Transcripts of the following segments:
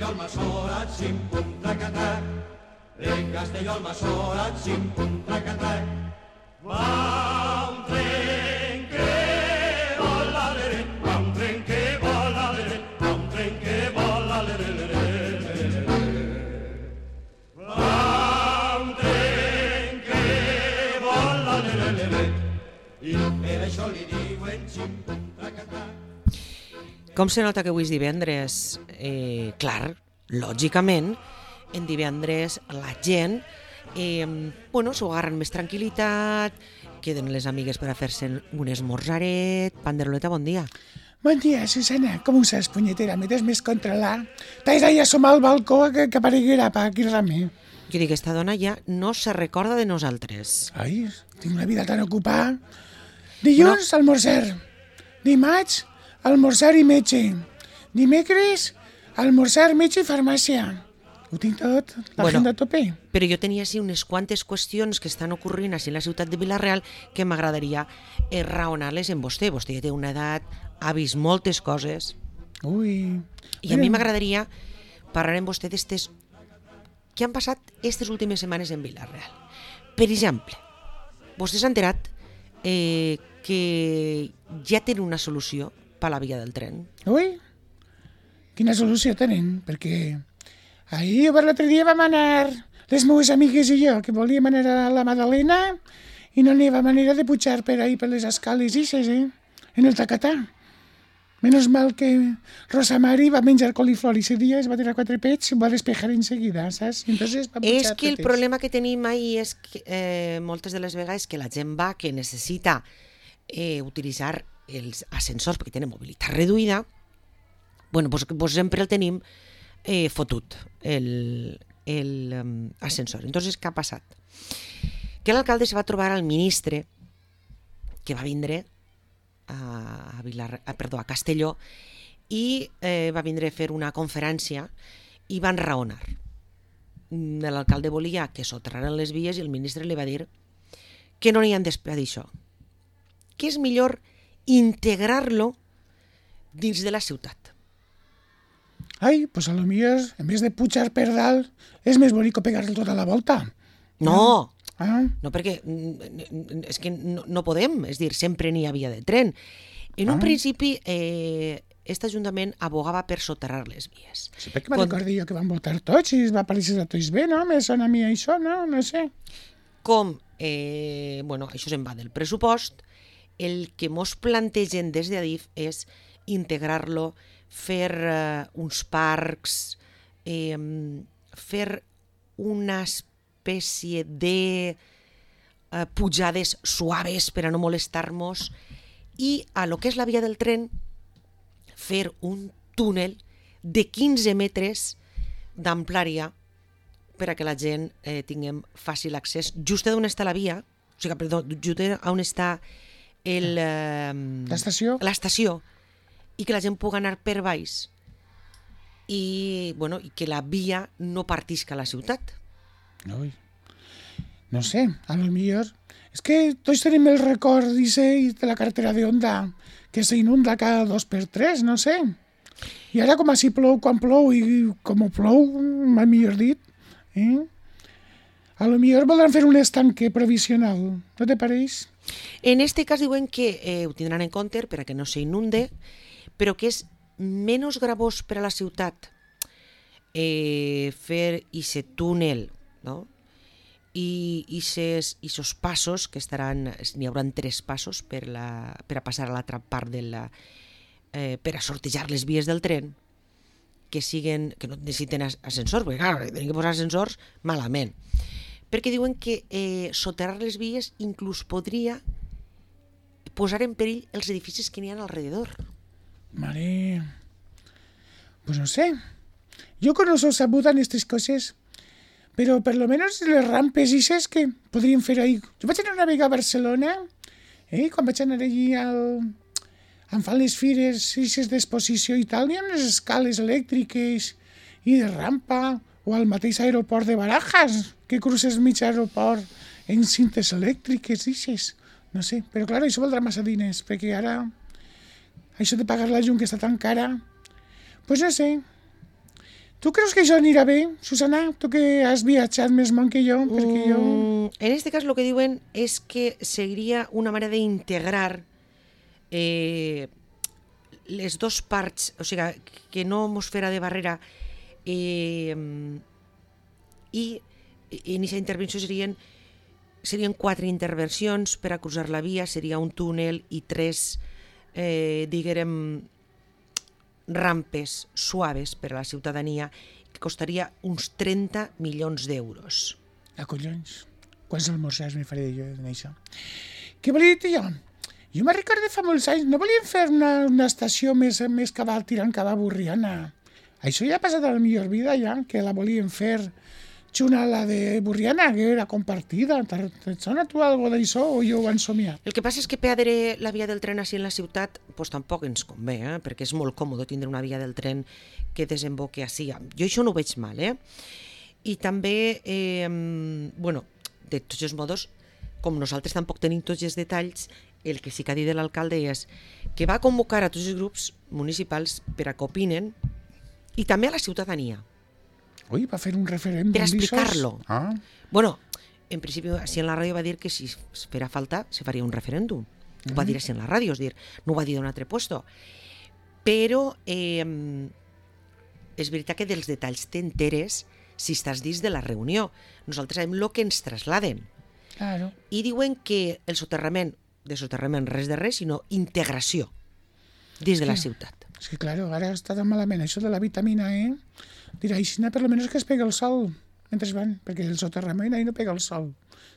Castelló al Massorat, xim-pum, trac-a-trac. De Castelló al Massorat, xim-pum, trac-a-trac. Va un tren que vola, l'ere, va un tren que vola, l'ere, va un tren que vola, l'ere, l'ere. Va un tren que vola, l'ere, l'ere. I per això li diuen xim-pum, trac-a-trac. Com se nota que avui és divendres? Clar, lògicament, en divendres la gent s'ho agarren més tranquil·litat, queden les amigues per a fer-se un esmorzaret. Panderoleta, bon dia. Bon dia, Susana. Com ho saps, punyetera? M'he més controlar. T'has d'ahir assomar al balcó que apareguera pa aquí rame. Jo dic, esta dona ja no se recorda de nosaltres. Ai, tinc una vida tan ocupada. Dilluns, almorzar. Dimarts, almorzar i metge. Dimecres, almorzar, metge i farmàcia. Ho tinc tot, l'agenda a tope. Però jo tenia així unes quantes qüestions que estan ocorrint així en la ciutat de Vila-real que m'agradaria raonar-les en vostè. Vostè ja té una edat, ha vist moltes coses. Ui. I a mi m'agradaria parlar amb vostè d'estes que han passat aquestes últimes setmanes en Vila-real. Per exemple, vostè s'ha enterat que ja tenen una solució per a la via del tren. Ui, quina solució tenen? Perquè ahir per l'altre dia vam anar les meves amigues i jo, que volíem anar a la Madalena i no n'hi havia manera de pujar per ahir per les escales ixes, en el tacatà. Menos mal que Rosa Mari va menjar coliflor i ese dia es va tirar 4 pets i ho va despejar enseguida, saps? Entonces va pujar És que el totes. problema que tenim ahir és que moltes de les vegades que la gent va que necessita utilitzar els ascensors perquè tenen mobilitat reduïda, pues sempre el tenim fotut, l'ascensor. Entonces, què ha passat? Que l'alcalde se va trobar al ministre que va vindre a Castelló i va vindre a fer una conferència i van raonar. L'alcalde volia que soterraren les vies i el ministre li va dir que no n'hi han d'esperar d'això, que és millor integrar-lo dins de la ciutat. Ai, pues a lo millor, en vez de pujar per dalt, és més bonic pegar-lo tota la volta. No, Ah, no perquè és que no podem, és dir, sempre n'hi havia de tren. En un principi, aquest ajuntament abogava per soterrar les vies. sí, perquè me'n recordo jo que van votar tots i es va aparèixer a tots bé, no? Me sona a mi això, no? No sé. Com, això se'n va del pressupost, el que mos plantegen des d'Adif és integrar-lo, fer uns parcs, fer una espècie de pujades suaves per a no molestar-nos i a lo que és la via del tren fer un túnel de 15 metres d'amplària per a que la gent tinguem fàcil accés just on està la via, just on està L'estació? l'estació, i que la gent pugui anar per baix i que la via no partisca la ciutat. Ui. No sé, a lo millor... És que tots tenim el record de la carretera de Honda, que s'inunda cada 2x3, no sé. I ara com així plou quan plou i com plou, m'ha millor dit, a lo millor voldran fer un estanque provisional, no te pareix? En este cas diuen que ho tindran en compte per a que no s'inunde, però que és menys gravós per a la ciutat fer aquest túnel, no? I aquests passos que n'hi haurà 3 passos per a passar a l'altra part per a sortejar les vies del tren que no necessiten ascensors, perquè clar, tenen que posar ascensors malament, perquè diuen que soterrar les vies inclús podria posar en perill els edificis que n'hi ha alrededor. Mare, pues no sé. Yo conozco sabuda en estas cosas, pero por lo menos les rampes i ses que podrien fer ahí. Jo vaig anar una vegada a Barcelona, quan vaig anar allí em fan les fires d'exposició i tal, hi ha unes escales elèctriques i de rampa, o al mateix aeroport de Barajas, que cruces mig aeroport en cintes elèctriques, ixes. No sé, però clar, això valdrà massa diners, perquè ara això de pagar la llum que està tan cara, pues no sé. Tu creus que això anirà bé, Susana? Tu que has viatjat més món que jo, perquè jo... En este cas, el que diuen és que seria una manera d'integrar les dues parts, o sigui, que no mos fera de barrera i en aquesta intervenció serien 4 intervencions per a cruzar la via, seria un túnel i 3, diguem, rampes suaves per a la ciutadania que costaria uns 30 milions d'euros. Collons, quants almorzars me faré jo en això? Què volia dir jo? Jo me recordo fa molts anys, no volien fer una estació més tirant cap a Borriana. Això ja ha passat a la millor vida, ja, que la volien fer xuna la de Borriana, que era compartida. Et sona tu algo d'això o jo ho han somiat? El que passa és que perdre la via del tren així en la ciutat pues, tampoc ens convé, perquè és molt còmode tindre una via del tren que desemboque així. Jo això no ho veig mal. I també, de tots els modos, com nosaltres tampoc tenim tots els detalls, el que sí que ha dit l'alcalde és que va convocar a tots els grups municipals per a que opinen i també a la ciutadania. Ui, va fer un referèndum. Per explicar-lo. Ah. Bueno, en principi, així en la ràdio va dir que si fera falta se faria un referèndum. Ho va dir així en la ràdio, és dir, no ho va dir d'un altre puesto. Però és veritat que dels detalls t'enteres si estàs dins de la reunió. Nosaltres sabem el que ens trasladen. Claro. I diuen que el soterrament, res de res, sinó integració dins de la ciutat. És que, claro, ara està tan malament això de la vitamina E. Dirà, així per almenys que es pega el sol mentre van, perquè el soterrament ahí no pega el sol.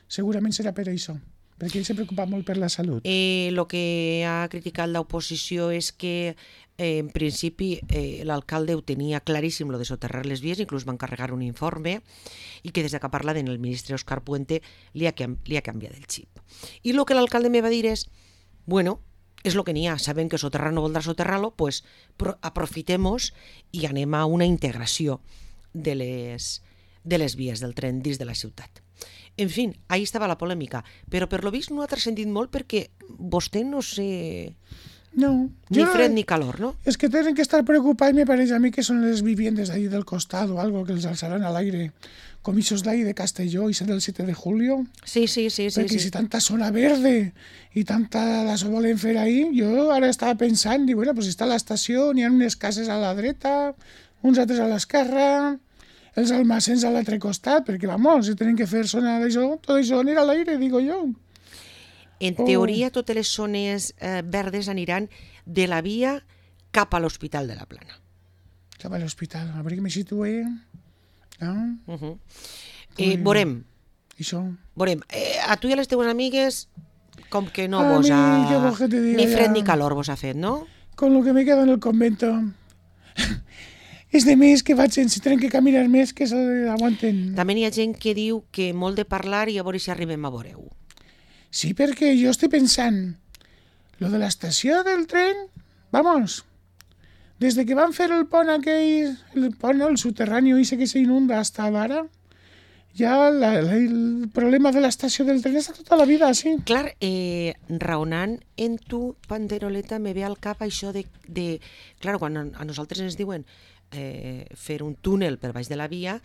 Segurament serà per això, perquè ell se preocupa molt per la salut. El que ha criticat l'oposició és que, en principi, l'alcalde ho tenia claríssim, lo de soterrar les vies, inclús va encarregar un informe, i que des que parla el ministre Òscar Puente li ha canviat el xip. I el que l'alcalde me va dir és, bueno, és el que n'hi ha, sabem que soterrar no voldrà soterrar-lo, pues aprofitem-nos i anem a una integració de les vies del tren dins de la ciutat. En fi, ahí estava la polèmica, però per lo vist no ha transcendit molt perquè vostè no sé... No. Ni fred ni calor, no? És que tenen que estar preocupats, me pareix a mi, que són les viviendes d'ahí del costat o algo que els alçaran a l'aire, com ixos d'ahí de Castelló i del 7 de julio. Sí. Perquè si tanta zona verde i tanta d'això volen fer ahí, jo ara estava pensant, dic, bueno, pues està a l'estació, n'hi ha unes cases a la dreta, uns altres a l'esquerra, els almacens a l'altre costat, perquè, vamos, si tenen que fer zona d'això, tot això anirà a l'aire, digo jo. En teoria, totes les zones verdes aniran de la via cap a l'Hospital de la Plana. Cap a l'hospital, a veure que me situé. No? Veurem. Això. Veurem. A tu i a les teves amigues, com que no vos ha... Ni fred ni calor vos ha fet, no? Con lo que me quedo en el convento. És de més que vaig, si tenen que caminar més, que s'aguanten. També hi ha gent que diu que molt de parlar i a veure si arribem a veure-ho. Sí, perquè jo estic pensant, lo de l'estació del tren, vamos, des de que van fer el pont aquell, el soterrani, ese que s'inunda hasta ara, ja el problema de l'estació del tren està tota la vida, sí. Clar, raonant en tu, Panderoleta, me ve al cap això de clar, quan a nosaltres ens diuen fer un túnel per baix de la via,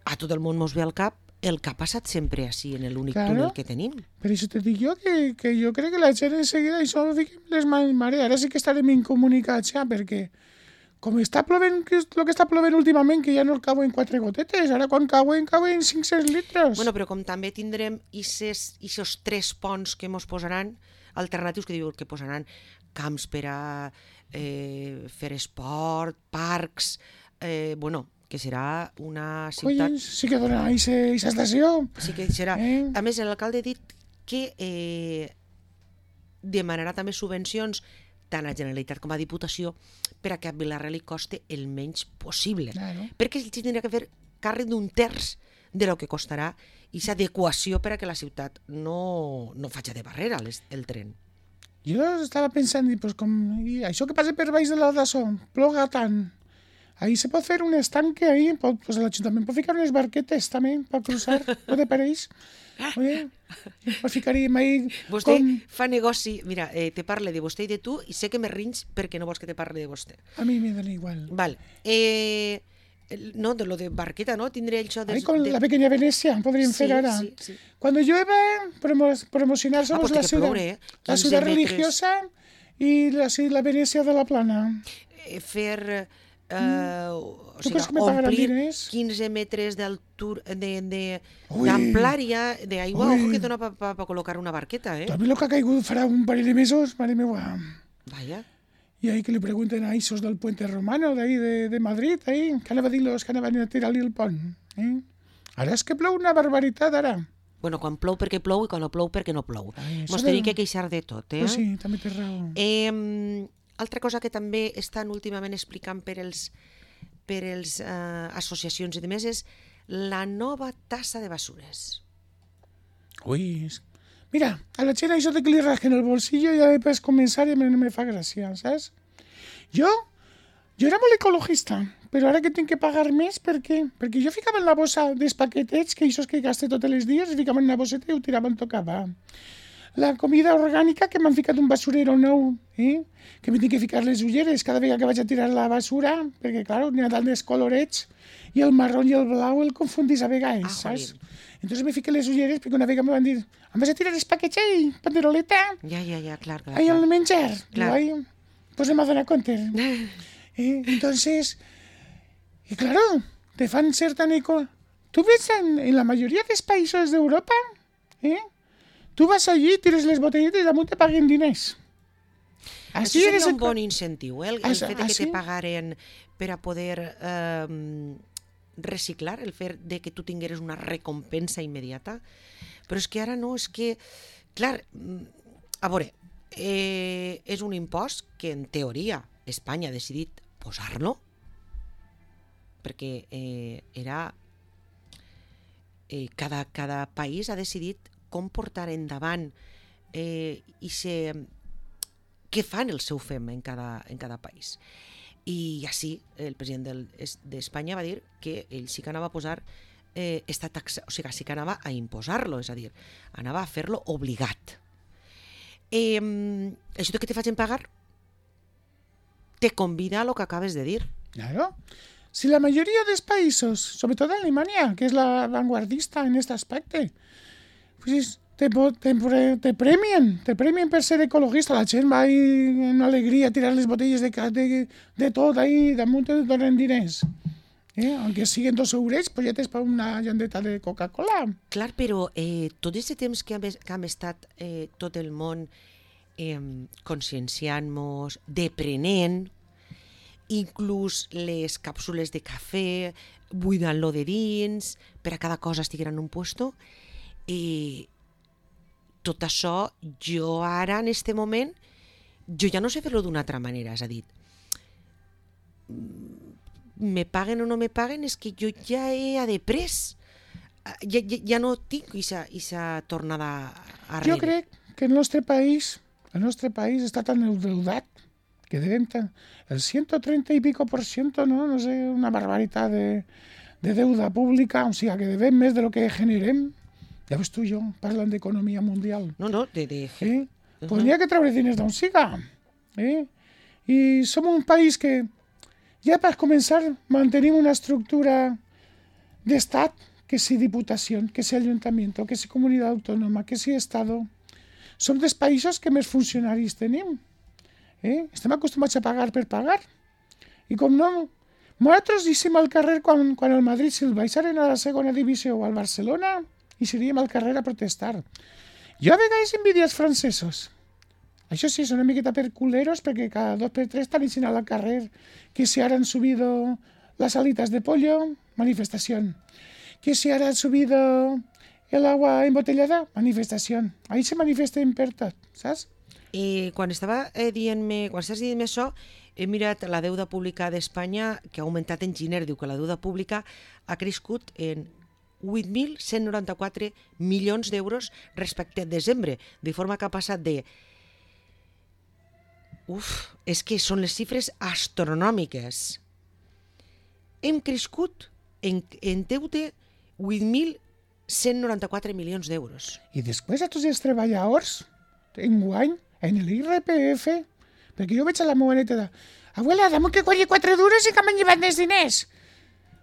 a tot el món mos ve al cap el que ha passat sempre així en l'únic túnel que tenim. Per això te dic jo que jo crec que la gent en seguida això ho fiquem les mans mare. Ara sí que estarem incomunicats ja, perquè com està plovent, el que està plovent últimament, que ja no cauen 4 gotetes, ara quan cauen 500 litres. Bueno, però com també tindrem aquests 3 ponts que mos posaran, alternatius que diuen que posaran camps per a fer esport, parcs, que serà una ciutat... Collons, sí que dona aquesta estació. Sí que serà. A més, l'alcalde ha dit que demanarà també subvencions tant a Generalitat com a Diputació per a que a Vila-real li coste el menys possible. Claro. Perquè ells tindrà que fer càrrec d'un terç de lo que costarà aquesta adequació per a que la ciutat no faci de barrera el tren. Jo estava pensant, pues, això que passa per baix de la d'això, ploga tant. Ahí se pot fer un estanque, ahí, pues l'Ajuntament pot ficar unes barquetes també per cruzar, no te pareix? Oye, pues ficaríem ahí... Vostè fa negoci, mira, te parle de vostè i de tu i sé que me rins perquè no vols que te parle de vostè. A mi me dona igual. Val. No, de lo de barqueta, ¿no? Tindré això de... Ahí con la pequeña Venecia podríem fer ara. Sí. Cuando llueve, promocionar somos pues la té que ciudad, ploure, la 15 ciudad metres. religiosa y la Venecia de la Plana. Fer... o Tu sigui, creus que me pagaran omplir diners? 15 metres d'altura, Ui. d'amplària, d'aigua, Ui. ojo que dona per col·locar una barqueta, Tu has vist lo que ha caigut farà un parell de mesos, mare meva. Vaya. Y ahí que le pregunten a esos del puente romano de ahí de Madrid, ahí, que anava a dir los que anaven a tirar-li el pont. Ara és que plou una barbaritat, ara. Bueno, quan plou perquè plou i quan no plou perquè no plou. Ai, això Mos de- tenim que queixar de tot, eh? Pues sí, també té raó. Altra cosa que també estan últimament explicant per els associacions i demés és la nova tassa de basures. Ui, mira, a la gent això de que li rasquen el bolsillo ja després començar i no me fa gràcia, saps? Jo era molt ecologista, però ara que tinc que pagar més, per què? Perquè jo ficava en la bossa dels paquetets, que això que gaste tots els dies, i ficava en una bosseta i ho tirava on tocava. La comida orgànica, que m'han ficat un basurero nou, que m'he tinc que ficar les ulleres cada vegada que vaig a tirar la basura, perquè, clar, n'hi ha tants colorets, i el marró i el blau el confundís a vegades, saps? Entonces me fiqué les ulleres perquè una vegada me van dir em vas a tirar els paquets ahí, panderoleta, Ja, clar. ahí al menjar. Clar. Digo, ahí, pues no me donar compte. Entonces, y claro, te fan ser tan eco. Tú ves en la mayoría de los países de Europa, tú vas allí, tires les botelletes i damunt te paguen diners. Això seria un bon incentiu, el fet de que sí? te pagaren per a poder reciclar, el fet de que tu tingueres una recompensa immediata. Però és que ara no, és que... Clar, a veure, és un impost que en teoria Espanya ha decidit posar-lo perquè era... Cada país ha decidit com portar endavant què fan el seu fem en cada país. I així el president d'Espanya va dir que ell sí que anava a posar esta taxa, o sigui, sí que anava a imposar-lo, és a dir, anava a fer-lo obligat. Això que te facin pagar te convida a lo que acabes de dir. Claro. Si la mayoría de los países, sobre todo Alemania, que es la vanguardista en este aspecto, pues te premien per ser ecologista. La gent va ahí en alegria a tirar les botelles de tot ahí, damunt te donen diners. Aunque siguen 2 eurets, pues ja tens per una llandeta de Coca-Cola. Clar, però tot aquest temps que hem estat tot el món conscienciant-nos, deprenent, inclús les càpsules de cafè, buidant-lo de dins, per a cada cosa estigueren en un puesto, tot això, jo ara, en este moment, jo ja no sé fer-lo d'una altra manera, és a dir, me paguen o no me paguen, és que jo ja he deprès, ja no tinc aquesta tornada arrere. Jo crec que el nostre país està tan endeudat que deben el 130 y pico %, no sé, una barbaritat de deuda pública, o sigui, que devem més de lo que generem. Ja ves tu, jo, parlant d'economia mundial. No, Pues n'hi ha que treure diners d'on siga. I som un país que, ja per començar, mantenim una estructura d'estat, que si diputació, que si ayuntamiento, que si comunitat autònoma, que si estado. Som dels països que més funcionaris tenim. Estem acostumats a pagar per pagar. I com no, nosaltres deixem al carrer quan el Madrid se'l baixaren a la segona divisió o al Barcelona i seríem al carrer a protestar. Jo a vegades envidio els francesos. Això sí, són una miqueta per culeros perquè cada 2 per 3 estan dient al carrer que si ara han subido las alitas de pollo, manifestación. Que si ara han subido el agua embotellada, manifestación. Ahí se manifesten per tot, saps? Quan estàs dient-me això, he mirat la deuda pública d'Espanya, que ha augmentat en gener. Diu que la deuda pública ha crescut en 8.194 milions d'euros respecte a desembre, de forma que ha passat de... és que són les xifres astronòmiques. Hem crescut en deute 8.194 milions d'euros. I després a tots els treballadors, enguany, en l'IRPF, perquè jo veig a la meva neta de «Abuela, dame que colli 4 duros i que m'han llevat més diners».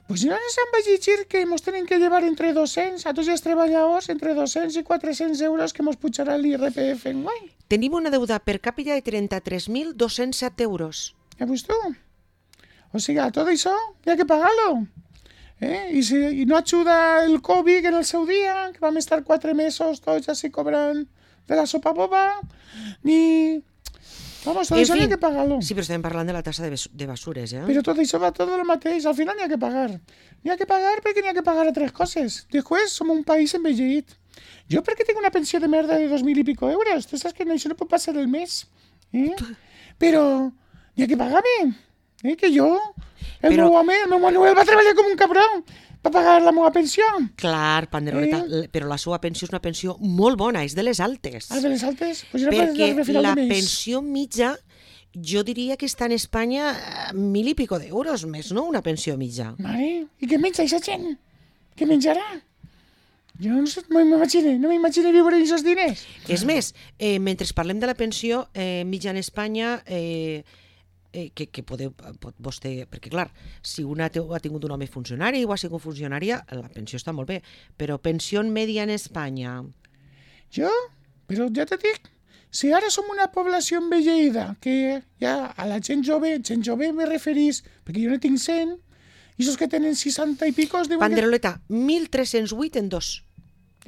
Pues no ens han llegir que mos tenen que llevar entre 200, a tots els treballadors, entre 200 i 400 euros que mos pujarà l'IRPF enguany. Tenim una deuda per càpita de 33.207 euros. Ja veus tu? O sigui, tot això hi ha que pagar-lo. I no ajuda el Covid en el seu dia, que vam estar 4 mesos tots així cobrant de la sopa boba, ni... Vamos, tot això hi ha que pagar-lo. Sí, però estem parlant de la tassa de basures, eh? Però tot això va tot el mateix, al final n'hi ha que pagar. N'hi ha que pagar perquè n'hi ha que pagar altres coses. Després, som un país envellit. Jo perquè tinc una pensió de merda de 2.000 i pico euros. Tu saps que això no pot passar el mes. Però n'hi ha que pagar-me. Que jo, el meu Manuel va treballar com un cabró per pagar la meva pensió. Clar, Panderoleta, però la seva pensió és una pensió molt bona, és de les altes. Ah, de les altes? Pues perquè la pensió mitja, jo diria que està en Espanya 1.000 i pico d'euros més, no? Una pensió mitja. Mare, i què menja aquesta gent? Què menjarà? Jo no sé, no m'imagino viure amb aquests diners. És més, mentre parlem de la pensió mitja en Espanya... que pot vostè... Perquè, clar, si una ha tingut un home funcionari o ha sigut funcionària, la pensió està molt bé, però pensió media en Espanya... Jo? Però ja te dic, si ara som una població envelleïda, que ja a la gent jove me referís, perquè jo no tinc 100, i esos que tenen 60 i picos... Panderoleta, 1.308 en 2.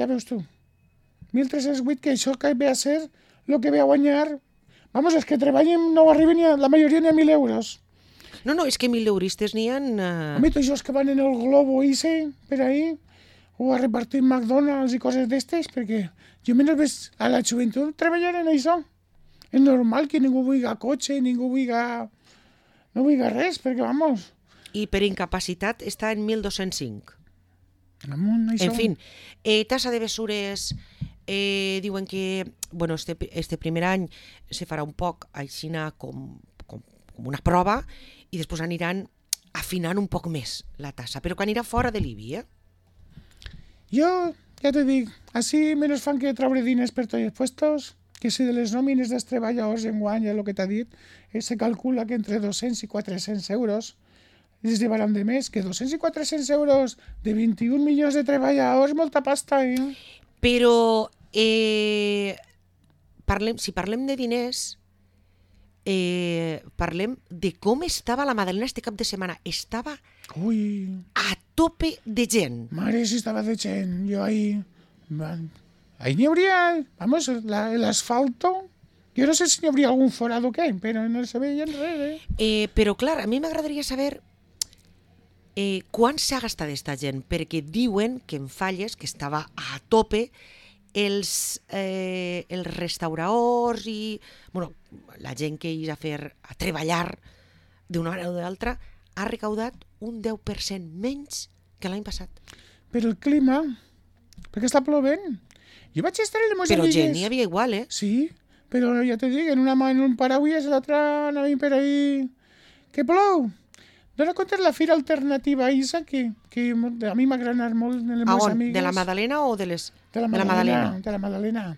Ja veus tu. 1.308, que això que ve a ser el que ve a guanyar... Vamos, és que treballen, no arriben la majoria ni a 1.000 euros. No, és que 1.000 euristes n'hi ha... Home, tots els que van en el globo per ahí, o a repartir McDonald's i coses d'estes, perquè jo menys veig a la joventut treballar en això. És normal que ningú vulgui cotxe, ningú no vulgui res, perquè, vamos... I per incapacitat està en 1.205. Amunt, això. En fin, tassa de besures... diuen que bueno, este primer any se farà un poc aixina com una prova i després aniran afinant un poc més la tassa, però que anirà fora de l'IBI, Jo, ja te dic, així menys fan que treure diners per tots els puestos, que si de les nòmines dels treballadors enguany, ja el que t'ha dit, se calcula que entre 200 i 400 euros es llevaran de més, que 200 i 400 euros de 21 milions de treballadors, molta pasta, Però si parlem de diners, parlem de com estava la Madalena este cap de setmana. Estava a tope de gent. Mare, si estava de gent. Jo ahí n'hi hauria, vamos, l'asfalto. Jo no sé si n'hi hauria algun forat o què, però no se veia res. Però clar, a mi m'agradaria saber quan s'ha gastat aquesta gent, perquè diuen que en Falles, que estava a tope, els restauradors i la gent que hi a treballar d'una manera o de l'altra ha recaudat un 10% menys que l'any passat. Però el clima, perquè està plovent. Jo vaig estar en les meves amigues. Però gent n'hi havia igual, Sí, però ja te dic, en una mà en un paraules, l'altra anàvem per ahí... Que plou! Dóna compte la fira alternativa Isa, que a mi m'agrada anar molt en les meves amigues. De la Madalena o de la Madalena? De la Madalena.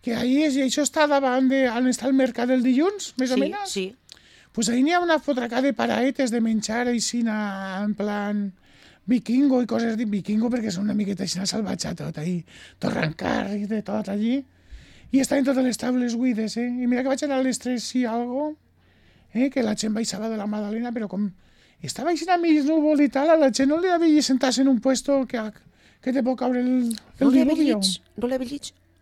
Que ahí això està davant on està el mercat del dilluns, més o menys. Sí. Pues ahí n'hi ha una fotraca de paraetes de menjar així en plan vikingo i coses de vikingo, perquè són una miqueta així salvatge tot ahí, torrancar i de tot allí. I estaven totes les taules buides, I mira que vaig anar a les 3 i algo, que la gent baixava de la Madalena, però com estava així a mig núvol i tal, a la gent no li havia sentar-se en un puesto que te pot caure el diluvio.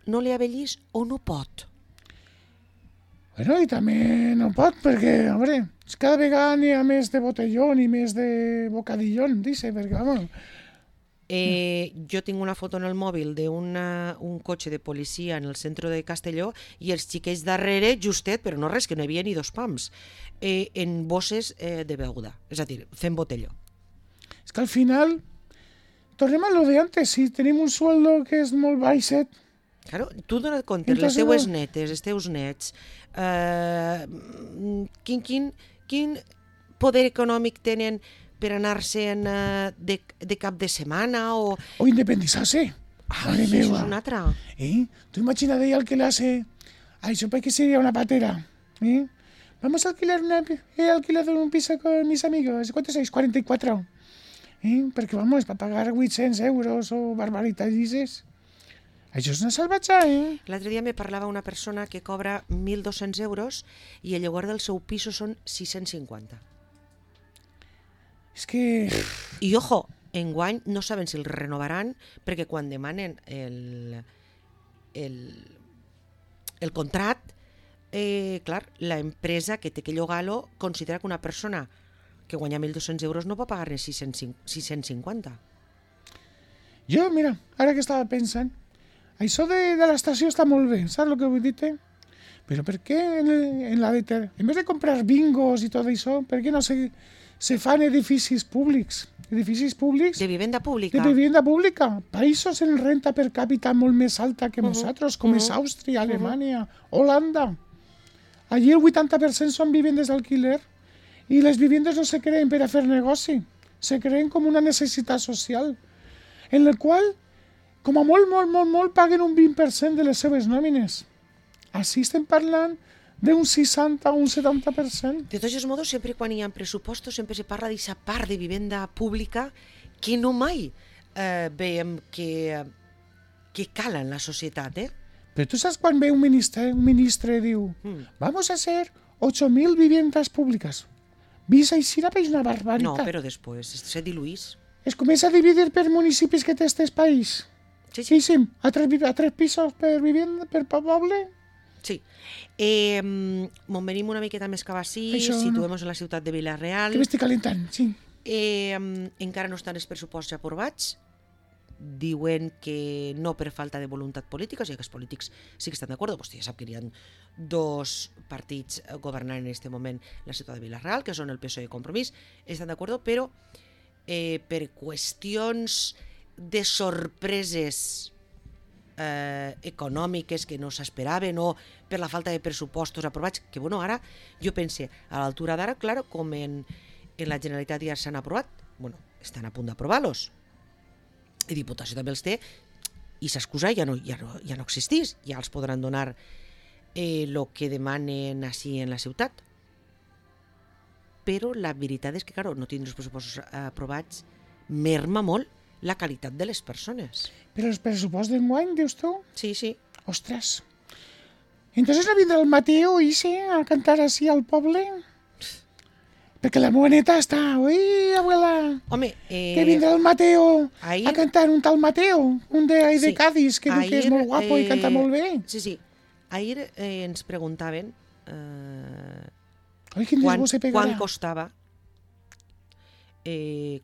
No li avellis o no pot? Bueno, i també no pot, perquè, home, cada vegada n'hi ha més de botellón i més de bocadillón, dice, perquè, vamos... Jo tinc una foto en el mòbil d'un cotxe de policia en el centre de Castelló i els xiquets darrere, justet, però no res, que no hi havia ni 2 pams, en bosses de beguda, és a dir, fent botelló. És que al final, tornem a lo de antes, si tenim un sueldo que és molt baixet... Claro, tu dona't compte, les teues netes, els teus nets, quin poder econòmic tenen per anar-se'n de cap de setmana o... O independizar-se. Madre meva. Això és una altra. Tu imagina't el que le hace... Això para que sería una patera. Vamos a alquilar un piso con mis amigos. ¿Cuántos sois? 44. Perquè, vamos, per pagar 800 euros o barbaritats. Això és una salvatge, L'altre dia me parlava una persona que cobra 1.200 euros i el lloguer del seu pis són 650. És que... I, ojo, enguany no saben si el renovaran perquè quan demanen el contract, clar, l'empresa que té que llogar-lo considera que una persona que guanya 1.200 euros no pot pagar-ne 650. Jo, mira, ara que estava pensant, això de l'estació està molt bé, saps el que vull dir-te? Però per què en vez de comprar bingos i tot això, per què no se fan edificis públics? Edificis públics... De vivenda pública. De vivenda pública. Països en renta per càpita molt més alta que nosaltres, com és Àustria, Alemanya, Holanda. Allí el 80% són vivendes d'alquiler i les vivendes no se creen per a fer negoci, se creen com una necessitat social, en la qual, com a molt, paguen un 20% de les seves nòmines. Així estem parlant d'un 60 o un 70%. De tots els modos, sempre quan hi ha pressupostos, sempre se parla d'aquesta part de vivenda pública que no mai veiem que cala en la societat, Però tu saps quan ve un ministre diu vamos a hacer 8.000 viviendas públicas. Vist així és una barbaritat. No, però després se diluís. Es comença a dividir per municipis que té este país. Sí. A tres pisos per vivenda, per poble. Sí. Me'n venim una miqueta més cap així, situem-nos en la ciutat de Vila-real. Que m'estic calentant, sí. Encara no estan els pressupostos aprovats. Diuen que no per falta de voluntat política, o sigui que els polítics sí que estan d'acord. Vostè ja sap que hi ha dos partits governant en aquest moment la ciutat de Vila-real, que són el PSOE i Compromís, estan d'acord, però per qüestions de sorpreses econòmiques que no s'esperaven o per la falta de pressupostos aprovats, que bueno, ara jo pense, a l'altura d'ara, clar, com en la Generalitat ja s'han aprovat, bueno, estan a punt d'aprovar-los, i Diputació també els té, i s'excusa ja no existís, ja els podran donar el que demanen així en la ciutat. Però la veritat és que, clar, no tindre els pressupostos aprovats merma molt la qualitat de les persones. Però els pressupostos d'enguany, dius tu? Sí. Ostres. Entonces no vindrà el Mateo a cantar així al poble? Perquè la meva neta està... Ui, abuela! Home, que vindrà el Mateo ahir... a cantar, un tal Mateo, un de Cádiz, que diu que és molt guapo i canta molt bé. Sí. Ahir ens preguntaven quan costava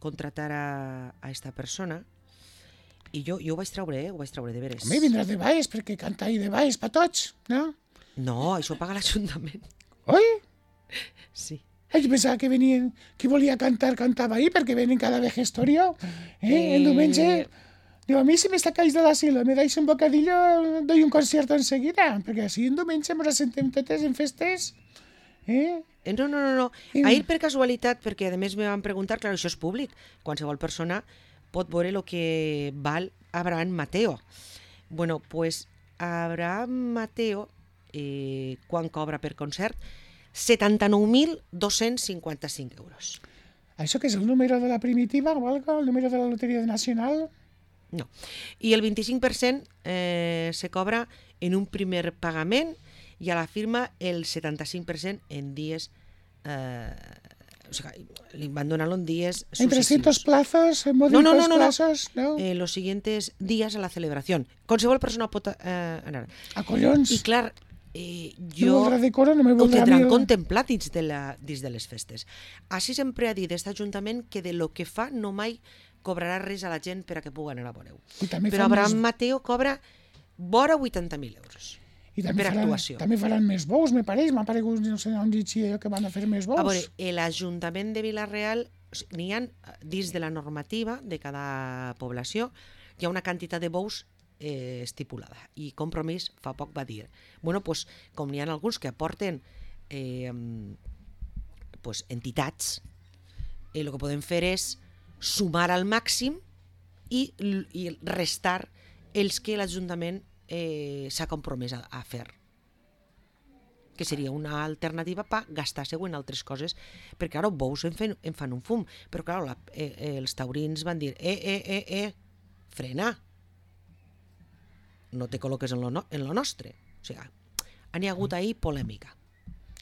contratar a esta persona, i jo ho vaig treure, de veres. Home, vindrà de baix, perquè canta ahir de baix per tots, no? No, això ho paga l'Ajuntament. Oi? Sí. Jo pensava que venien, que volia cantar, cantava ahir, perquè venen cada vejestorio. El diumenge... Diu, a mi si me sacáis de l'asilo, me dais un bocadillo, doy un concierto enseguida, perquè així en diumenge ens assentem totes en festes. No. Ahir per casualitat, perquè a més me van preguntar, clar, això és públic, qualsevol persona pot veure el que val Abraham Mateo. Bueno, pues Abraham Mateo, quan cobra per concert, 79.255 euros. Això que és el número de la primitiva o algo? El número de la loteria nacional? No. I el 25% se cobra en un primer pagament i a la firma el 75% en dies... o sigui, li van donar-lo en dies successius. ¿En 300 plazos? ¿En módicos plazos? No. Los siguientes días a la celebración. Qualsevol persona pot anar. A collons! I clar, jo ho tindran contemplat dins de les festes. Així sempre ha dit aquest Ajuntament que de lo que fa no mai cobrarà res a la gent per a que pugui anar a veure-ho. Però Abraham Mateo cobra vora 80.000 euros per actuació. També faran més bous, m'ha paregut, no sé on llegia que van a fer més bous. A veure, l'Ajuntament de Vila-real, n'hi ha, dins de la normativa de cada població, hi ha una quantitat de bous estipulada, i Compromís fa poc va dir, bueno, pues, com n'hi ha alguns que aporten entitats, el que podem fer és sumar al màxim i restar els que l'Ajuntament s'ha compromès a fer. que seria una alternativa per gastar-se en altres coses, perquè, clar, bous en fan un fum, però, clar, els taurins van dir, frena, no te col·loques en lo nostre. O sigui, n'hi ha hagut ahir polèmica.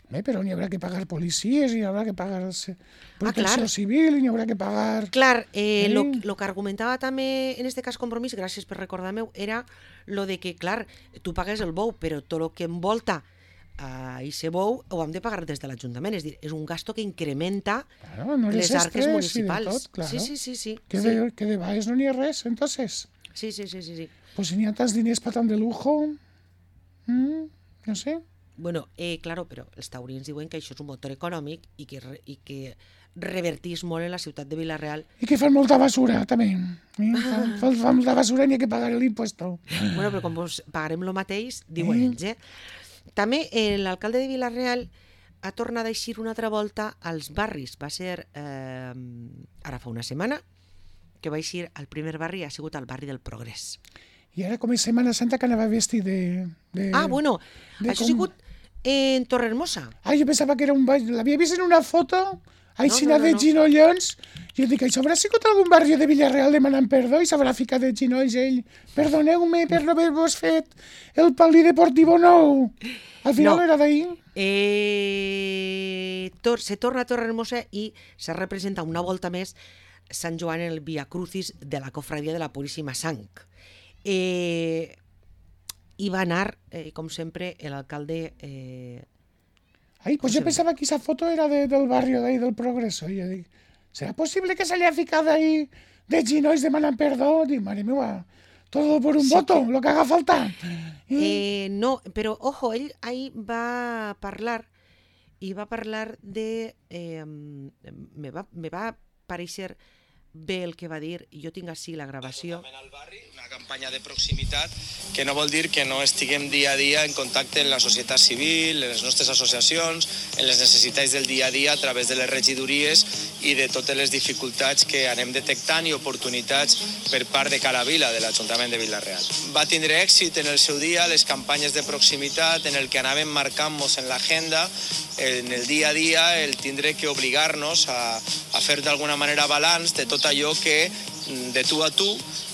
Però n'hi haurà que pagar policies, n'hi haurà que pagar protecció civil, n'hi haurà que pagar... Clar, lo que argumentava també, en este cas Compromís, gràcies per recordar-me, era lo de que, clar, tu pagues el bou, però tot el que envolta a aquest bou ho hem de pagar des de l'Ajuntament, és a dir, és un gasto que incrementa les arques municipals. Sí. Que de baix no n'hi ha res, entonces. Sí. Pues si n'hi ha tants diners per tant de lujo, no sé. Bueno, claro, però els taurins diuen que això és un motor econòmic i que revertís molt en la ciutat de Vila-real. I que fan molta basura, també. Fan molta basura i n'hi ha que pagar l'impuesto. Bueno, però com pagarem el mateix, diuen ells, També l'alcalde de Vila-real ha tornat a eixir una altra volta als barris. Va ser, ara fa una setmana, que va eixir al primer barri, ha sigut al barri del Progrés. I ara com és Setmana Santa que anava vestit de bueno, això ha sigut en Torrehermosa. Jo pensava que era un ball, l'havia vist en una foto, aixina de ginollons, i jo dic, això haurà sigut algun barri de Villarreal demanant perdó i s'haurà ficat de ginolls ell. Perdoneu-me per no haver-vos fet el polideportivo nou. Al final era d'ahir. Se torna a Torrehermosa i se representa una volta més Sant Joan en el Via Crucis de la cofradia de la Puríssima Sang. I va anar, com sempre, l'alcalde... Pues jo pensava que aquesta foto era del barri d'ahí, del Progreso. I jo dic, ¿será posible que se haya ficado ahí de ginolls demanant perdó? Dic, mare meva, todo por un voto, lo que haga falta. No, però, ojo, ell ahí va parlar de... me va pareixer bé el que va dir, i jo tinc així la gravació. Una campanya de proximitat que no vol dir que no estiguem dia a dia en contacte amb la societat civil, en les nostres associacions, en les necessitats del dia a dia a través de les regidories i de totes les dificultats que anem detectant i oportunitats per part de Cala Vila, de l'Ajuntament de Vila-real. Va tindre èxit en el seu dia les campanyes de proximitat en el que anàvem marcant-nos en l'agenda, en el dia a dia, el tindre que obligar-nos a fer d'alguna manera balanç de tot allò que de tu a tu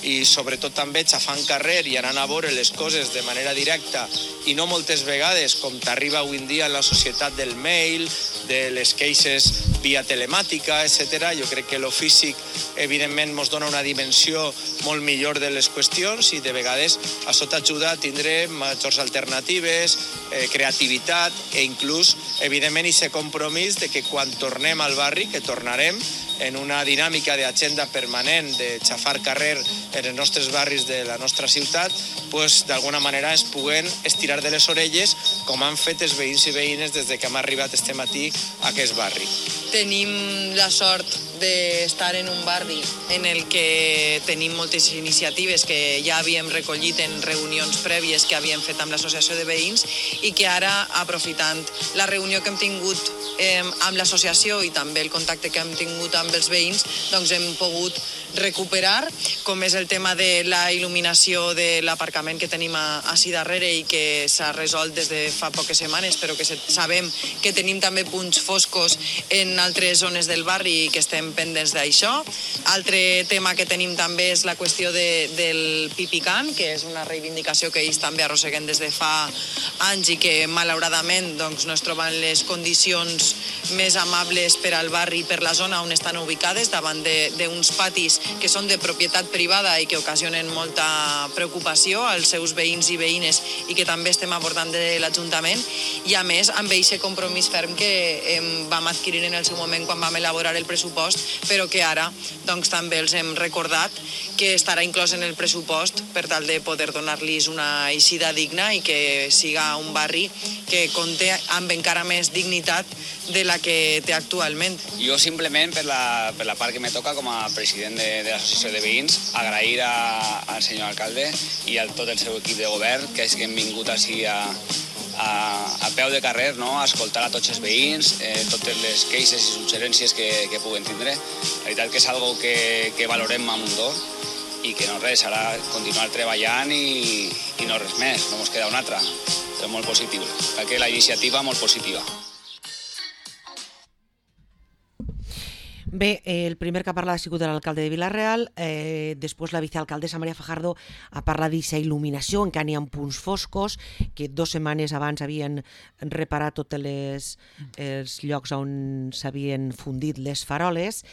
i sobretot també xafant carrer i anant a veure les coses de manera directa i no moltes vegades com t'arriba avui en dia en la societat del mail, de les queixes via telemàtica, etc. Jo crec que lo físic evidentment ens dona una dimensió molt millor de les qüestions i de vegades això t'ajuda a tindre majors alternatives, creativitat i inclús evidentment aquest compromís de que quan tornem al barri, que tornarem en una dinàmica d'agenda permanent de xafar carrer en els nostres barris de la nostra ciutat, pues, d'alguna manera es puguen estirar de les orelles com han fet els veïns i veïnes des que hem arribat este matí a aquest barri. Tenim la sort d'estar en un barri en el que tenim moltes iniciatives que ja havíem recollit en reunions prèvies que havíem fet amb l'associació de veïns i que ara, aprofitant la reunió que hem tingut amb l'associació i també el contacte que hem tingut amb els veïns, doncs hem pogut recuperar, com és el tema de la il·luminació de l'aparcament que tenim així darrere i que s'ha resolt des de fa poques setmanes, però que sabem que tenim també punts foscos en altres zones del barri i que estem pendents d'això. Altre tema que tenim també és la qüestió del pipicant, que és una reivindicació que ells també arrosseguen des de fa anys i que malauradament doncs, no es troben les condicions més amables per al barri i per la zona on estan ubicades, davant d'uns patis que són de propietat privada i que ocasionen molta preocupació als seus veïns i veïnes i que també estem abordant de l'Ajuntament i a més amb aquest compromís ferm que vam adquirir en el seu moment quan vam elaborar el pressupost, però que ara doncs, també els hem recordat que estarà inclòs en el pressupost per tal de poder donar-los una eixida digna i que siga un barri que compte amb encara més dignitat de la que té actualment. Jo simplement, per la part que me toca com a president de l'associació de veïns, agrair al senyor alcalde i a tot el seu equip de govern que és que hem vingut així a peu de carrer, no? A escoltar a tots els veïns, totes les queixes i suggerències que puguen tindre. La veritat que és algo que valorem a Mundó i que no res, ara continuar treballant i no res més, no ens queda una altra. molt positiu. Perquè la iniciativa molt positiva. Bé, el primer que ha parlat ha sigut l'alcalde de Vila-real, després la vicealcaldessa Maria Fajardo ha parlat d'aquesta il·luminació, encara n'hi ha punts foscos, que 2 setmanes abans havien reparat tots els llocs on s'havien fundit les faroles,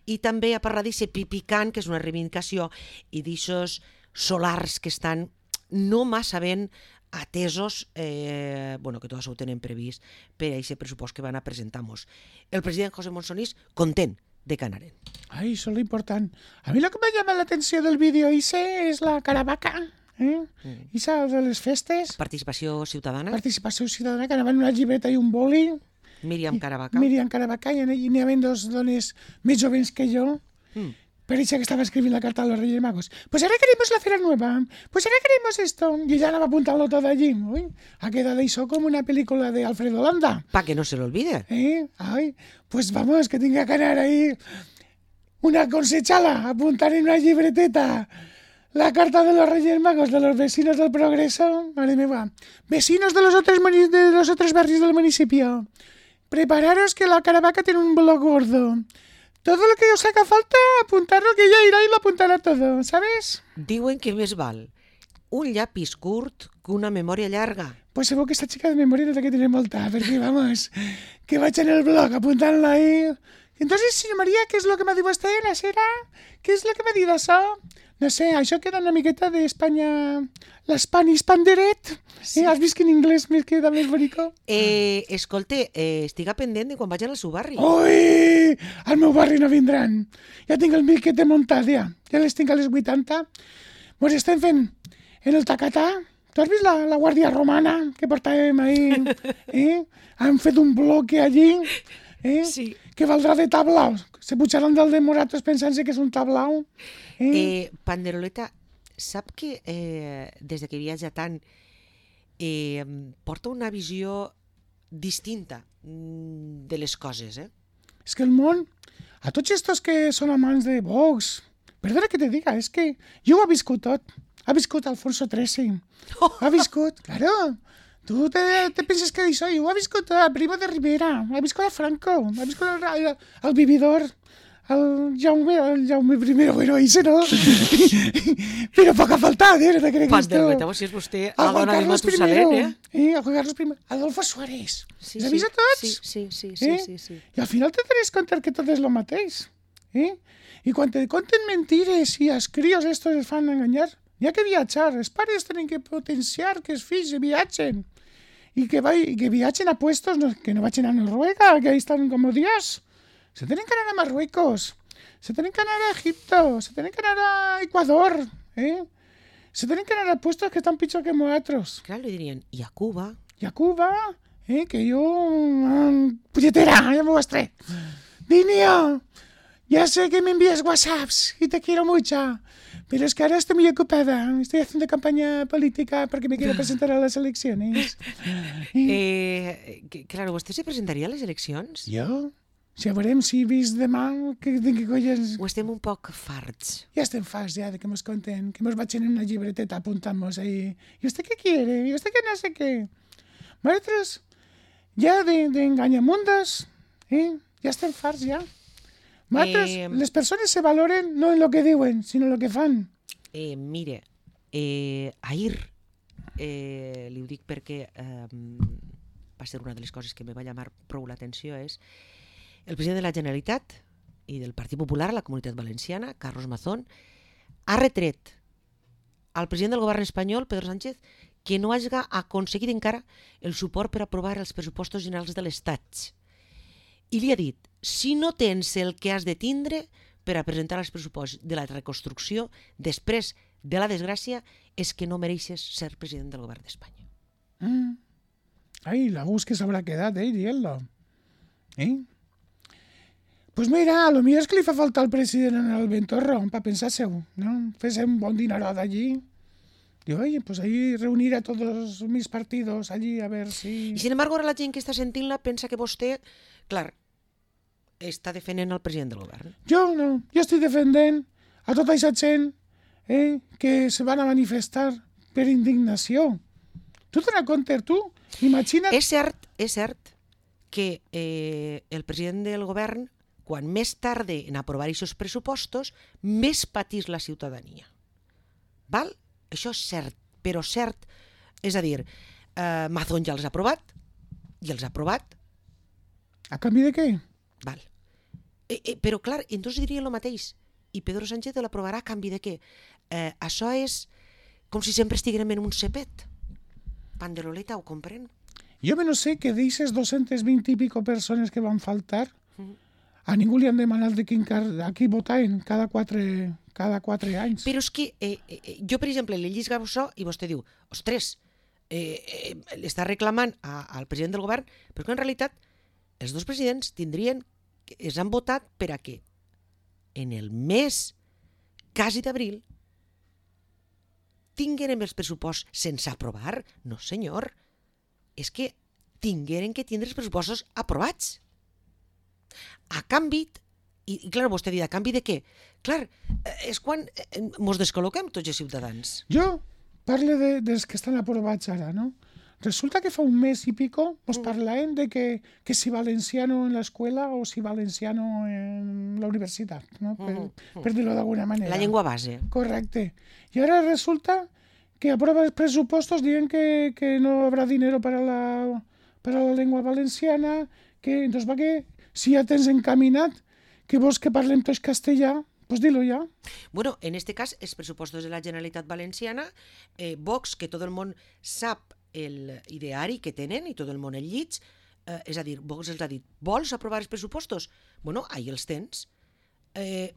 i també ha parlat d'aquest pipicant, que és una reivindicació, i d'aixòs solars que estan no massa ben atesos, que tot això ho tenen previst per a aquest pressupost que van a presentar-nos. El president José Monsonís content de Canaren. Ay, eso es lo importante. A mí lo que me llama la atención del vídeo ese es la caravaca, Esa de les festes. Participació ciutadana. Participació ciutadana, que anaven una llibreta i un boli. Míriam Caravaca. Míriam Caravaca, i n'hi havia 2 dones més joves que jo. Per això que estaba escribiendo la carta a los Reyes Magos. Pues ahora queremos la cera nueva. Pues ahora queremos esto. Y ella anava apuntando todo allí. Uy, ha quedado eso como una película de Alfredo Landa. Pa que no se lo olvide. Ay, pues vamos, que tenga que ganar ahí una consechala, apuntar en una libreteta la carta de los Reyes Magos de los vecinos del Progreso. Madre mía. Vecinos de los otros barrios del municipio. Prepararos que la Caravaca tiene un blog gordo. Todo lo que os haga falta, apuntarlo, que ella irá y lo apuntará todo, ¿sabes? Diuen que més val un llapis curt que una memòria llarga. Pues seguro que esta chica de memoria no tiene que tener molta, porque vamos, que va a echar en el blog, apuntarla ahí. Entonces, señor María, ¿qué es lo que m'ha dit vostè, la cera? ¿Qué es lo que m'ha dit això? No sé, això queda una miqueta d'Espanya, l'Spanish Panderet. Sí. Has vist que en anglès més queda més bonico? Escolte, estiga pendent de quan vagin al seu barri. Ui, al meu barri no vindran. Ja tinc el miquete muntat, ja les tinc a les 80. Mos estem fent en el tacatà. Tu has vist la Guàrdia Romana que portàvem ahir? Han fet un bloque allí. Sí. Que valdrà de tablau. Se pujaran del de Moratos pensant-se que és un tablau. Panderoleta, sap que des que viatja tant porta una visió distinta de les coses, És que el món, a tots estos que són amants de Vox, perdona que te diga, és que jo ho he viscut tot. Ha viscut Alfonso XIII. Ha viscut, claro. Tu te penses que això, ho ha viscut a Primo de Rivera, ha viscut a Franco, ha viscut al Vividor, el Jaume I, bueno, ese no. Però poc ha faltat, no te creguis tu. Panderoleta, si és vostè la dona de Matusalén, a Juan Carlos I. Adolfo Suárez. ¿Les ha vist a tots? Sí. I al final te tenés compte que tot és lo mateix. I quan te conten mentires i els crios estos es fan enganyar, hi ha que viatjar. Els pares tenen que potenciar que els fills viatgen. Y que viajen a puestos, que no vayan a Noruega, que ahí están como Dios. Se tienen que ir a Marruecos, se tienen que ir a Egipto, se tienen que ir a Ecuador, se tienen que ir a puestos que están pichos que nosotros. Claro, le dirían, y a Cuba. Y a Cuba, que yo... puñetera, ya me mostré. Dinio, ya sé que me envías WhatsApps y te quiero mucho. Pero es que ahora estoy muy ocupada. Estoy haciendo campaña política porque me quiero presentar a las elecciones. Claro, ¿usted se presentaria a les eleccions? Jo? Ja veurem si he vist demà que colles... O estem un poc farts? Ja estem farts, ja, de que mos conten, que mos vagin en una llibreteta apuntamos ahí. ¿Y usted qué quiere? ¿Y usted qué no sé qué? Nosaltres, ja de engañamundos, ja estem farts, ja. Nosaltres, les persones se valoren no en lo que diuen, sinó en lo que fan. Mire, ahir, li ho dic perquè va ser una de les coses que me va llamar prou l'atenció, és el president de la Generalitat i del Partit Popular a la Comunitat Valenciana, Carlos Mazón, ha retret al president del govern espanyol, Pedro Sánchez, que no hagi aconseguit encara el suport per aprovar els pressupostos generals de l'Estat. I li ha dit, si no tens el que has de tindre per a presentar els pressupostos de la reconstrucció després de la desgràcia, és que no mereixes ser president del govern d'Espanya. Ai, la gust que s'haurà quedat, dient-lo. Pues mira, a lo millor és que li fa falta al president en el Ventorro, per pensar-se-ho, no? Fes un bon dinerot allí. Digo, oye, pues ahí reunir a todos mis partidos allí a ver si... I sin embargo, ara la gent que està sentint-la pensa que vostè, clar, està defendent el president del govern. Jo no, jo estic defendent a tota aquesta gent que se van a manifestar per indignació. Tu te n'acomptes, tu? Imagina't... És cert que el president del govern, quan més tarde en aprovar aquests pressupostos, més patís la ciutadania. Val? Això és cert, però cert. És a dir, Mazón ja els ha aprovat, i els ha aprovat. A canvi de què? Val. Però clar, entonces diria el mateix. I Pedro Sánchez l'aprovarà a canvi de què? Això és com si sempre estiguem en un cepet. Panderoleta, ho comprèn? Jo no sé que d'eixes 220 i pico persones que van faltar, a ningú li han demanat de aquí votaven cada 4 anys. Però és que jo, per exemple, li llisgo això i vostè diu, ostres, l'està reclamant al president del govern, però que en realitat els dos presidents es han votat per a què? En el mes quasi d'abril tingueren els pressupostos sense aprovar? No, senyor. És que tingueren que tindre els pressupostos aprovats. A canvi, i clar, vostè dirà, a canvi de què? Clar, és quan mos descol·loquem tots els ciutadans. Jo parlo dels que estan aprovats ara, no? Resulta que fa un mes i pico nos parlàvem de que si valenciano en l'escola o si valenciano en la universitat, no? Per dir-ho d'alguna manera. La llengua base. Correcte. I ara resulta que aprova els pressupostos dient que no habrá dinero para la llengua valenciana, que entonces va que si ja tens encaminat que vols que parlem tots castellà, pues dilo ja. Bueno, en este cas, els pressupostos de la Generalitat Valenciana, Vox, que tot el món sap el ideari que tenen i tot el món el llits, és a dir, Vox els ha dit, vols aprovar els pressupostos? Bueno, ahí els tens.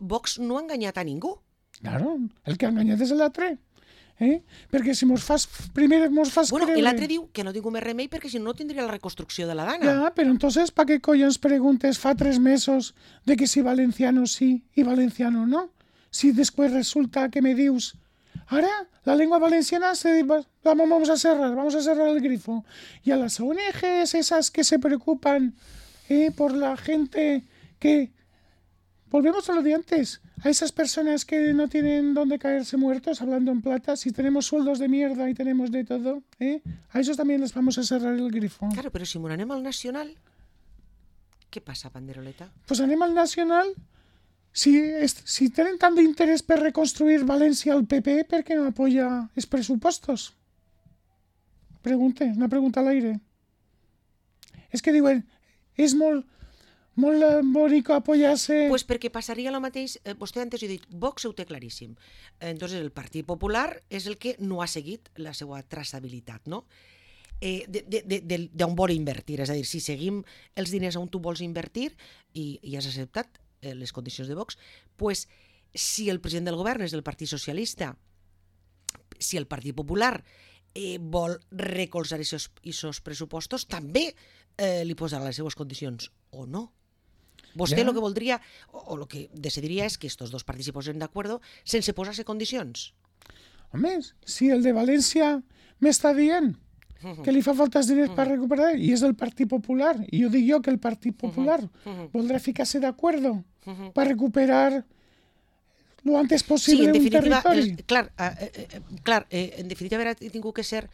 Vox no ha enganyat a ningú. Claro, el que ha enganyat és l'altre. Perquè si primer mos fas bueno, creure... I l'altre diu que no tinc més remei perquè si no tindria la reconstrucció de la Dana. Ja, però entonces, ¿para qué collons preguntes fa 3 mesos de que si valenciano sí y valenciano no? Si después resulta que me dius, ahora la lengua valenciana vamos a cerrar el grifo. Y a las ONGs esas que se preocupan por la gente que... Volvemos a lo de antes. A esas personas que no tienen dónde caerse muertos, hablando en plata, si tenemos sueldos de mierda y tenemos de todo, a esos también les vamos a cerrar el grifo. Claro, però si anem al Nacional, què passa, Panderoleta? Pues anem al Nacional. Si tenen tant d'interès per reconstruir València al PP, per què no apoya els pressupostos? Una pregunta a l'aire. És que diuen, és molt bonic apoyar-se... Pues perquè passaria el mateix, vostè antes ha dit, Vox ho té claríssim. Entonces el Partit Popular és el que no ha seguit la seva traçabilitat, no? D'on vol invertir, és a dir, si seguim els diners on tu vols invertir i has acceptat les condicions de Vox, pues si el president del govern és del Partit Socialista, si el Partit Popular vol recolzar aquests pressupostos, també li posarà les seues condicions, o no? Vostè el que voldria, o el que decidiria és que estos dos partits s'hi posen d'acord sense posar-se condicions. Home, si el de València m'està dient que li fa falta diners per recuperar, i és el Partit Popular, i ho dic jo que el Partit Popular voldrà ficar-se d'acord per recuperar lo antes possible un territori. Clar, en definitiva haurà tingut que ser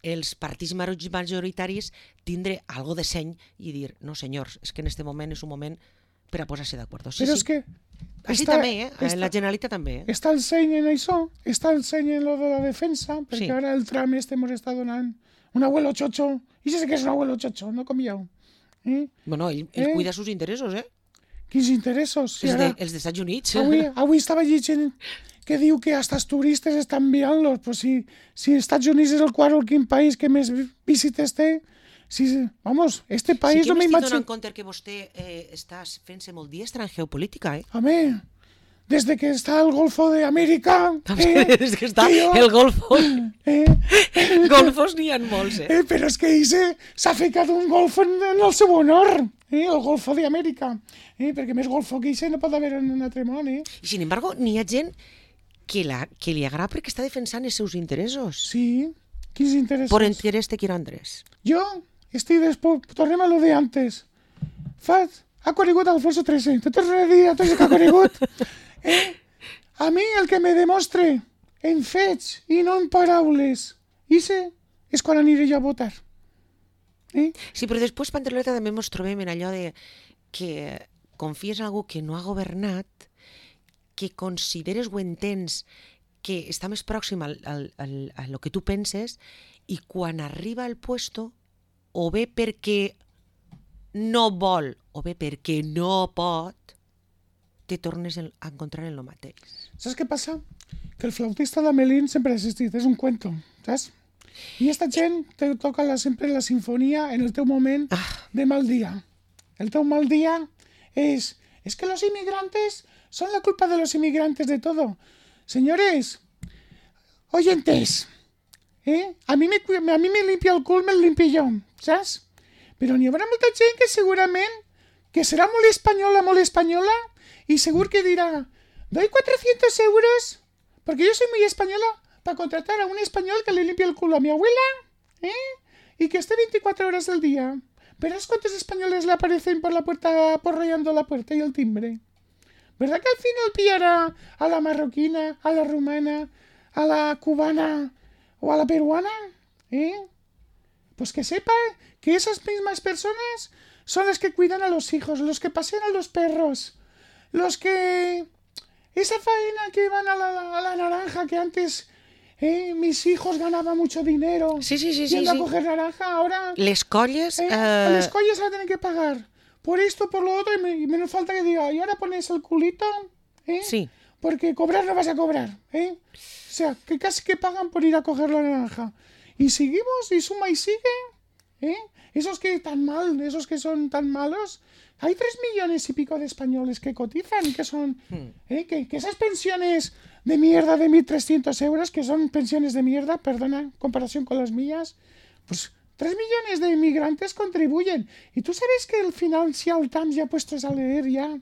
els partits majoritaris tindre algo de seny i dir, no senyors, és que en este moment és un moment per a posar-se d'acord. Però és que... Així també, la Generalitat també. Està el seny en això, està el seny en lo de la defensa, perquè ara el tram mos està donant un abuelo chocho, i sé que és un abuelo chocho, no com jo. Bueno, ell cuida els seus interessos, Quins interessos? Els dels Estats Units. Avui estava llegint que diu que hasta els turistes estan enviant-los. Pues si els Estats Units és el quart o el quin país que més visites té, vamos, este país no m'imagino... Sí que m'estic donant compte que vostè està fent-se molt diestre en geopolítica, Home, desde que está el Golfo de América... Desde que està el Golfo... Golfos n'hi ha molts, Però és que s'ha ficat un golfo en el seu honor, el Golfo de América. Perquè més golfo que no pot haver en un altre món, I, sin embargo, n'hi ha gent que li agrada perquè està defensant els seus interessos. Sí, quins interessos? Por interés te quiero, Andrés. Jo tornem a lo de antes. Ha conegut Alfonso XIII. Te torno a dir a tots que ha conegut. A mi el que me demostre en fets i no en paraules, és quan aniré jo a votar. Sí, però després, Panderoleta, també ens trobem en allò de que confies en algú que no ha governat, que consideres o entens que està més pròxim a lo que tu penses, i quan arriba al puesto, o bé perquè no vol, o bé perquè no pot, te tornes a encontrar en lo mateix. Saps què passa? Que el flautista de Melín sempre ha existit, és un cuento, saps? I esta gent te toca sempre la sinfonia en el teu moment de mal día. El teu mal día es que los inmigrantes son la culpa de los inmigrantes de todo. Señores, oyentes, a mí me limpia el cul, me el limpio jo, saps? Però n'hi haurà molta gent que segurament que serà molt espanyola, y seguro que dirá, doy 400 euros, porque yo soy muy española, para contratar a un español que le limpie el culo a mi abuela, y que esté 24 horas al día. ¿Verás cuántos españoles le aparecen por la puerta, porreando la puerta y el timbre? ¿Verdad que al final pillará a la marroquina, a la rumana, a la cubana o a la peruana? Pues que sepa que esas mismas personas son las que cuidan a los hijos, los que pasean a los perros, los que... Esa faena que van a la naranja, que antes mis hijos ganaban mucho dinero. Sí. Yendo a coger naranja, ahora... Les colles... Les colles se la tienen que pagar. Por esto, por lo otro, y menos falta que diga, y ahora pones el culito, Sí. Porque cobrar no vas a cobrar, O sea, que casi que pagan por ir a coger la naranja. Y seguimos, y suma y sigue, Esos que tan mal, esos que son tan malos... Hay 3 millones y pico de españoles que cotizan, que son... que esas pensiones de mierda de 1.300 euros, que son pensiones de mierda, perdona, en comparación con las mías, pues 3 millones de inmigrantes contribuyen. Y tú sabes que el Financial Times, ya puestos a leer ya,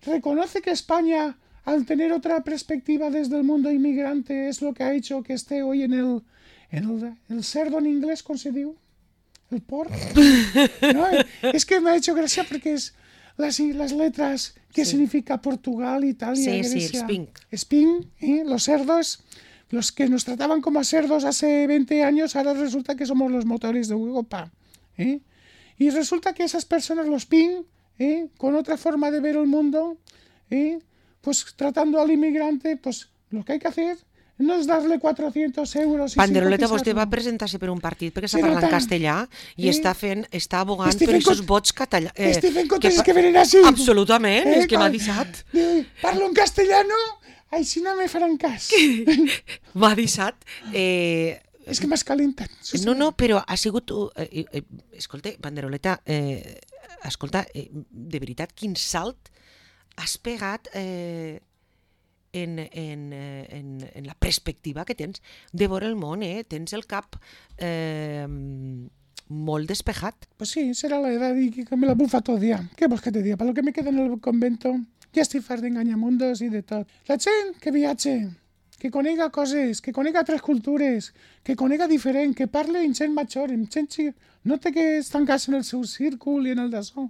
reconoce que España, al tener otra perspectiva desde el mundo inmigrante, es lo que ha hecho que esté hoy en el cerdo en inglés, ¿cómo se diu? El porc. No, es que me ha hecho gracia porque es las letras que significa Portugal, Italia, Grecia. Sí, el Spin, los cerdos, los que nos trataban como a cerdos hace 20 años, ahora resulta que somos los motores de Europa. Y resulta que esas personas, los PIN, con otra forma de ver el mundo, pues tratando al inmigrante, pues lo que hay que hacer no és dar-li 400 euros... Panderoleta, vostè va presentar-se per un partit perquè s'ha parlat en castellà i està abogant per aquests vots catalans. Stephen Cotes que venen així. Absolutament, és que m'ha deixat. Parlo en castellano, així no me faran cas. M'ha deixat. És que m'has calentat. No, però ha sigut... Escolta, Panderoleta, escolta, de veritat, quin salt has pegat... En la perspectiva que tens de veure el món, tens el cap molt despejat. Pues sí, será la edad y que me la bufa todo día. ¿Qué vols que te diga? Para lo que me queda en el convento, ja estic fart d'enganyamundos i de tot. La gent que viatge, que conega coses, que conega tres cultures, que conega diferent, que parle en gent major, en gent... No té que estancar-se en el seu círcul i en el d'açò.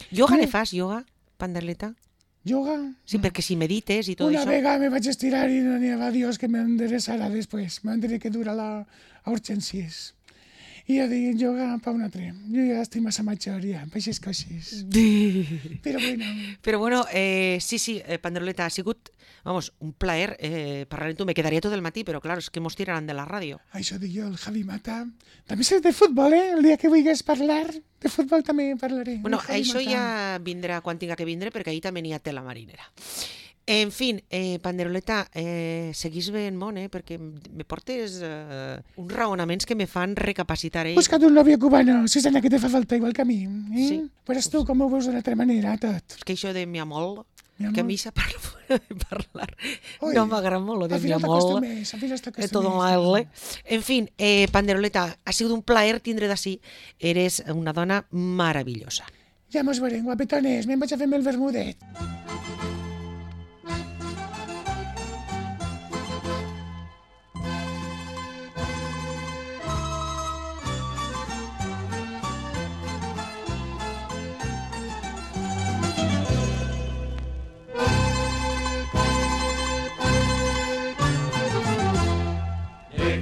Yoga ne fas, yoga, Panderoleta? Yoga. Sí, perquè si medites i tot Una això... Una vega me vaig estirar i no n'hi va Dios que m'endereçarà després. M'han de que dura a urgències. I jo dic, yoga pa un altre. Jo ja estic massa major, ja, per aquestes coses. Però bueno, sí, Panderoleta, ha sigut, vamos, un plaer parlar amb tu. Me quedaria tot el matí, però clar, és que mos tiraran de la ràdio. Això dic jo, el Javi Mata. També sé de futbol, El dia que vulguis parlar de futbol també parlaré. Bueno, això ja vindrà quan tinga que vindre, perquè ahir també n'hi ha tela marinera. En fin, Panderoleta, seguís bé en món, perquè me portes uns raonaments que me fan recapacitar. Busca't un novio cubano, Susana, que te fa falta igual que a mi. Sí. Però tu com ho veus d'una altra manera, tot? És que això de mi amor, que a mi se parla de parlar. No m'agrada molt, lo de mi amor. Todo mal. En fin, Panderoleta, ha sigut un plaer tindre d'ací. Eres una dona maravillosa. Ja mos veurem, guapetones. Me'n vaig a fer-me el vermudet.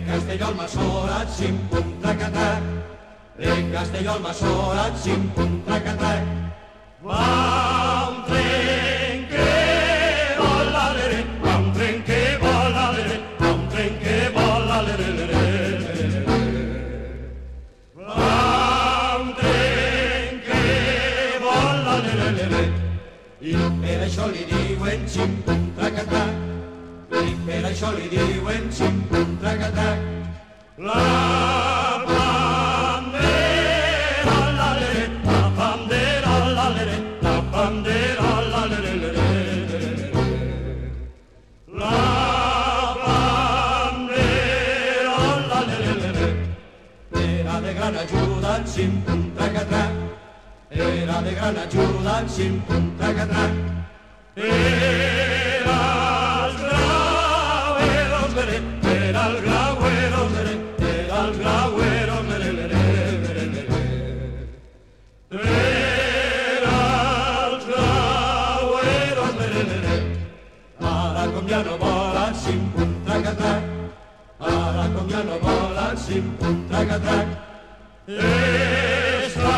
Castelló al Masó xim-pum, traca-trac. En Castelló al Massorat, xim-pum, traca-trac. Va un tren que vola, l'ere, va un tren que vola, l'ere, va un tren que vola, l'ere, l'ere. Va un tren que vola, l'ere, l'ere. I per això li diuen xim-pum, traca-trac. I per això li diuen xim-pum, traca-trac. La bandera, la lere, la bandera, la lere, la bandera, la lere, lere, lere. La bandera, la lere, lere. Era de gran ajuda en xim-pum, traca-trac. Era de gran ajuda en xim-pum, traca-trac. Era el grauero, lere, era el grauero, lere, era el grauero, lere, lere, lere, lere. Era el grauero, lere, lere. Ara com ja no volen, xim-pum, traca-trac. Ara com ja no volen, xim-pum, traca-trac. Està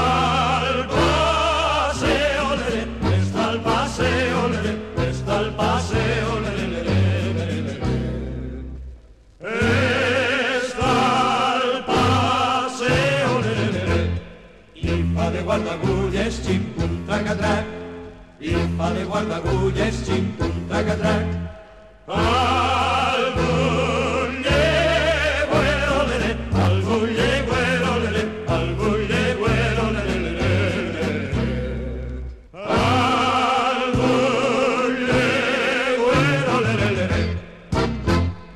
el paseo, lere, està el paseo, lere, està el paseo, lere, lere, lere, lere. Està el paseo, lere, lere. I fa de guardagulles, xim-pum, traca-trac. I fa de guardagulles, xim-pum, traca-trac.